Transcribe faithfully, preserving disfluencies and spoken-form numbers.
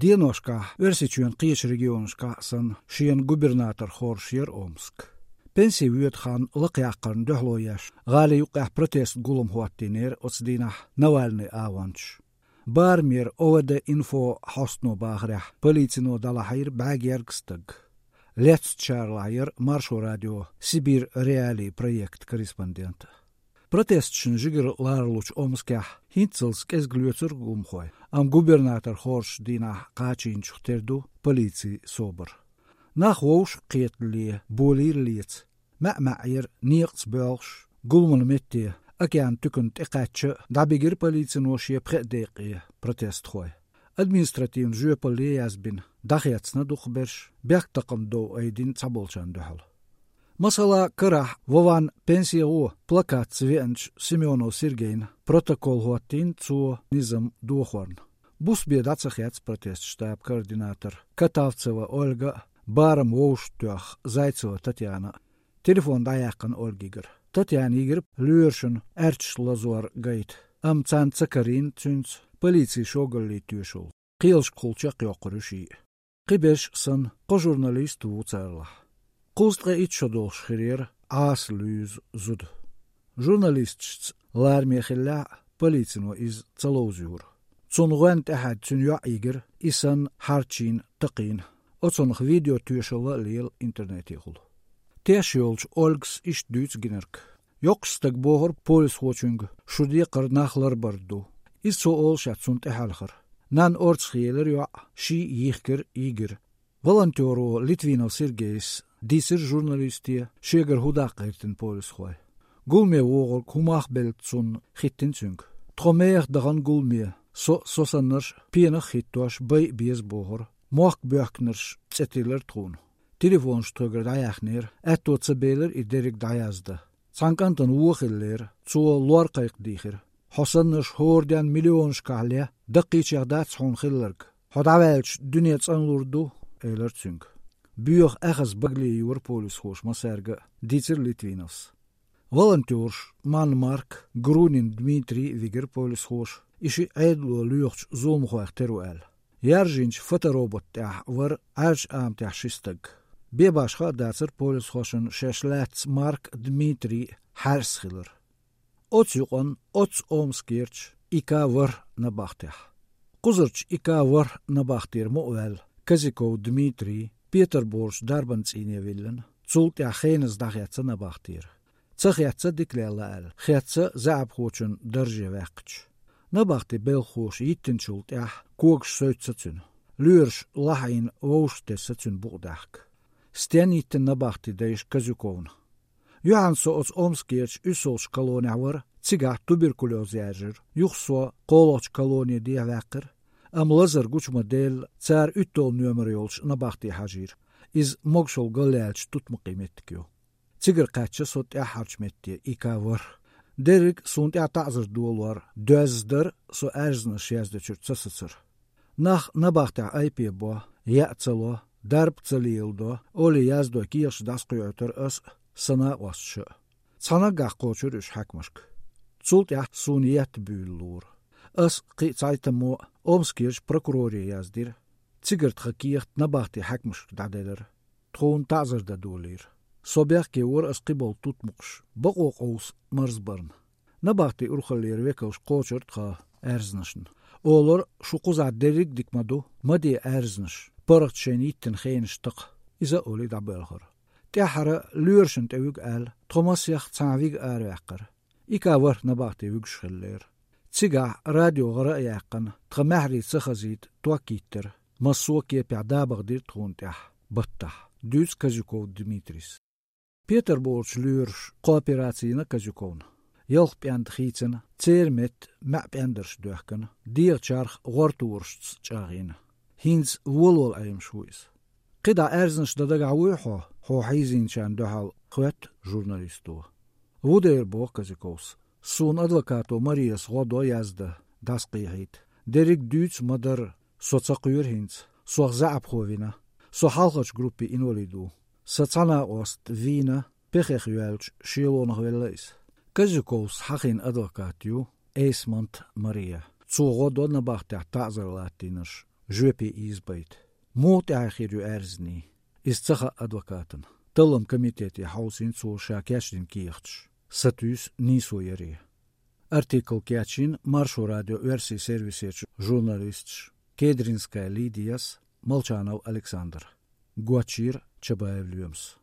Деношкахь Оьрсийчоьнан кхечу регионашкахь а санна, шена губернатор хоржуш яра Омск. Пенсе воьду хан лакхъяккхарна дуьхьало еш, гӀали юккъехь протест гулам хӀоттийнера оцу дийнахь Навальный агӀончаш. Барамера О В Д-инфо хьостано бахарехь, полицино дӀалахьийра бӀаьрг ерг стаг. Лецначарлахь яра Маршо радион «Сибирь Реалии» проектан корреспондент. Протесташна жигара ларалучу Омскехь хӀинццалц кӀезиг лоьцура гуламхой, амма губернатор хоржучу дийнахь кхачийначух тера ду полицин собар. Нах вовшах а кхетале, болийра леца. МаьӀ-маьӀӀера некъаца боьлхуш, гуламан метте, океан туькана тӀекхаьчча, дӀабигира полицино шен пхеа декъе протестхой. Административна жоьпалле а язбина, дӀахецна дукхахберш, бехктакхаман дов айдина цхьаболчарна дуьхьал. Масала, карахь «Вован пенсе гӀо» плакатца веанчу Семёнов Сергейна протокол хӀоттийна цо низам дохорна. Буса бен дӀа ца хецна протестан штабан координатор Катавцева Ольга а, барам вовшахтоьхна Зайцева Татьяна а. Телефон дӀаяьккхина Ольгигара. Татьяна йигира лоьрашна аьрчаш лазор гайта, амма царна ца карийна цуьнца полицин шогаллин тоьшалла. Кхелашкахула чекхйоккхур ю шиъ. Кхиберш а санна, кхо журналист ву царлахь. Кхузткъе итт шо долуш хир яра Ӏаса луьйзу зуда. Журналисташца лараме хиллехь а, полицино иза ца ловзуьйтура. Цунна гӀоьнна тӀаьхьаьдда цуьнан йоӀ йигира, и санна хьарчийна, такхийна. Оцунах видеотоьшалла а лела интернетехула. Теш йолчу Ольгас иштта дуьйцу гинарг. Йоккхачу стага бохура полисхочуьнга, шу декхар нах ларбар ду. Иза цо олуш яц цунна тӀехьаьлхара. Нанна орцахъелира йоӀ, шиъ йихкира, йигира. Волонтёро Литвинов Сергейс дийцира журналисте, шегара хӀун даккха гӀиртина полисхой. Гуламе вогӀург хӀун мах белла цунна хиттина цуьнга. Тхо мехах дахана гуламе, со а, со саннарш а пенах а хӀиттош, бай а беза бохура. Мохк боьхкинарш цӀе тиллира тхуна. Телефонаш тхоьгара дӀаяьхнера, аьтто ца белира и дерриг дӀаяздан. Цхьана кӀантана вон хиллера, цо лор кхайкха дийхира. Хьо саннарш хӀора денна миллионашкахь ле, даккхийчех дац хьуна хилларг. Хьо дӀаваьлча, дуьне цӀанлур ду, элира цуьнга. Боьха аьхаза багале йора полисхоша массаьрга а, дийцира Литвиновс. Волонтёраш Манн Марк, Грунин Дмитрий вигира полисхоша, и шиъ Ӏедало лоьхучу зуламхойх тера ву аьлла. Яржийначу фоторобот тӀехь вара Ӏаьржачу аматехь ши стаг. Бен башха а дацара полисхошна шаьш лаьцна Марк, Дмитрий хьаьрса хилар. Оцу юкъанна оццу Омскерчу И К ворхӀ набахтехь. Кхузарчу И К ворхӀ набахтера мукъаваьлла Козяков Дмитрий Петарборчу дарбан цӀийне виллина, цул тӀаьхьа хеназа дӀахецна набахтера. Ца хецна дика лелла аьлла, хецна заьӀапхочун дарже ваьккхича. Набахтин белхалоша йиттинчул тӀаьхьа когаш соьцу цуьнан. Лоьраша лахьийна вовшахтесна цуьнан букъ даьхка. Стенна йиттина набахти дайша Козяковна. Юьхьанца со оцу Омскерчу уьссалгӀачу колонехь вара, цигахь туберкулёз яьржира. Юха со кхоалгӀачу колоне дехьаваьккхира, амма лазар гучу ма-делла, цара уьтталгӀа номер йолчу набахте хьажийра. Иза могушалла галъяьллачу тутмакхийн меттиг ю. Цигара кхаьчна со тӀаьххьарчу метте, И К ворхӀ. Дерриг а суна тӀехь таӀзар долор доьзна дара со аьрзнаш яздечуьра ца сацар. Нах набахтехь айпе бо, яа ца ло, дарба ца леладо, олий яздой кехаташ дӀасакхоьуьйтура ас а, сан накъосташа а. Цхьа наггахь кхочура уьш хьаькамашка. Цул тӀаьхьа суна етта буьйлалора. Ас а, кхин а цхьайттаммо а Омскерчу прокуроре яздира. Цигара тхан кехат набахтин хьаькамашка дӀаделира. Тхуна таӀзар дан долийра. Со бехке вара ас кхиболу тутмакхаш бакъо къовса марзбарна. Набахтин урхаллера векалш кхочура тхан аьрзнашна. Олура, шу кхузахь дерриг а дика ма ду, ма де аьрзнаш, паргӀат шайна йиттина хенаш такха, иза а олий дӀабоьлхура. ТӀаьххьара лоьрашна тӀе вуьгу аьлла, тхо масех цхьаьна вига араваьккхира. И К ворхӀ набахте вуьгуш хиллера. Цигахь радио гӀара а яьккхина, тхан маьхьарий ца хазийта, ток йиттира. Массо а кепехь дабагӀа дира тхуна тӀехь, баттахь, дуьйцу Козяков Дмитрийс. Петарборчу лоьраша кхоопераци йина Козяковна. Ялх пӀенда хийцина, церан метта маьӀ пӀендарш доьхкина, дегӀан чарх гӀорторашца чӀагӀйина. ХӀинца волавала Ӏемаш ву иза. КхидӀа аьрзнаш дан дагахь вуй хьо, хьо хьийзийначарна дуьхьал, хоьтту журналисто. Ву дера, боху Козяковс. Суна адвокато Марияс гӀо до яздан, дӀасакхехьийта. Дерриг а дуьйцу ма-дарра, со ца кхоьру хӀинца. Сох заьӀапхо вина. Со хьалхарчу группин инвалид ву. Сан цхьа накъост вийна, пехех йоьллачу шелонах велла иза. Козяковс хьахийна адвокат ю Эйсмонт Мария. Цо гӀо до набахтехь таӀзар латтийнарш. жоьпе ийзабайта. Муха тӀаьхье хир ю аьрзнийн? Иза ца хаьа адвокатана. Талламан комитете хьовсийна цо ша кечдина кехаташ. Сатуьйсу нийсо яре. Артикл кечйина Маршо радион оьрсийн сервисерчу журналисташа Кедринская Лидияс, Молчанов Александра. Гочйира Чабаев Лоьмас.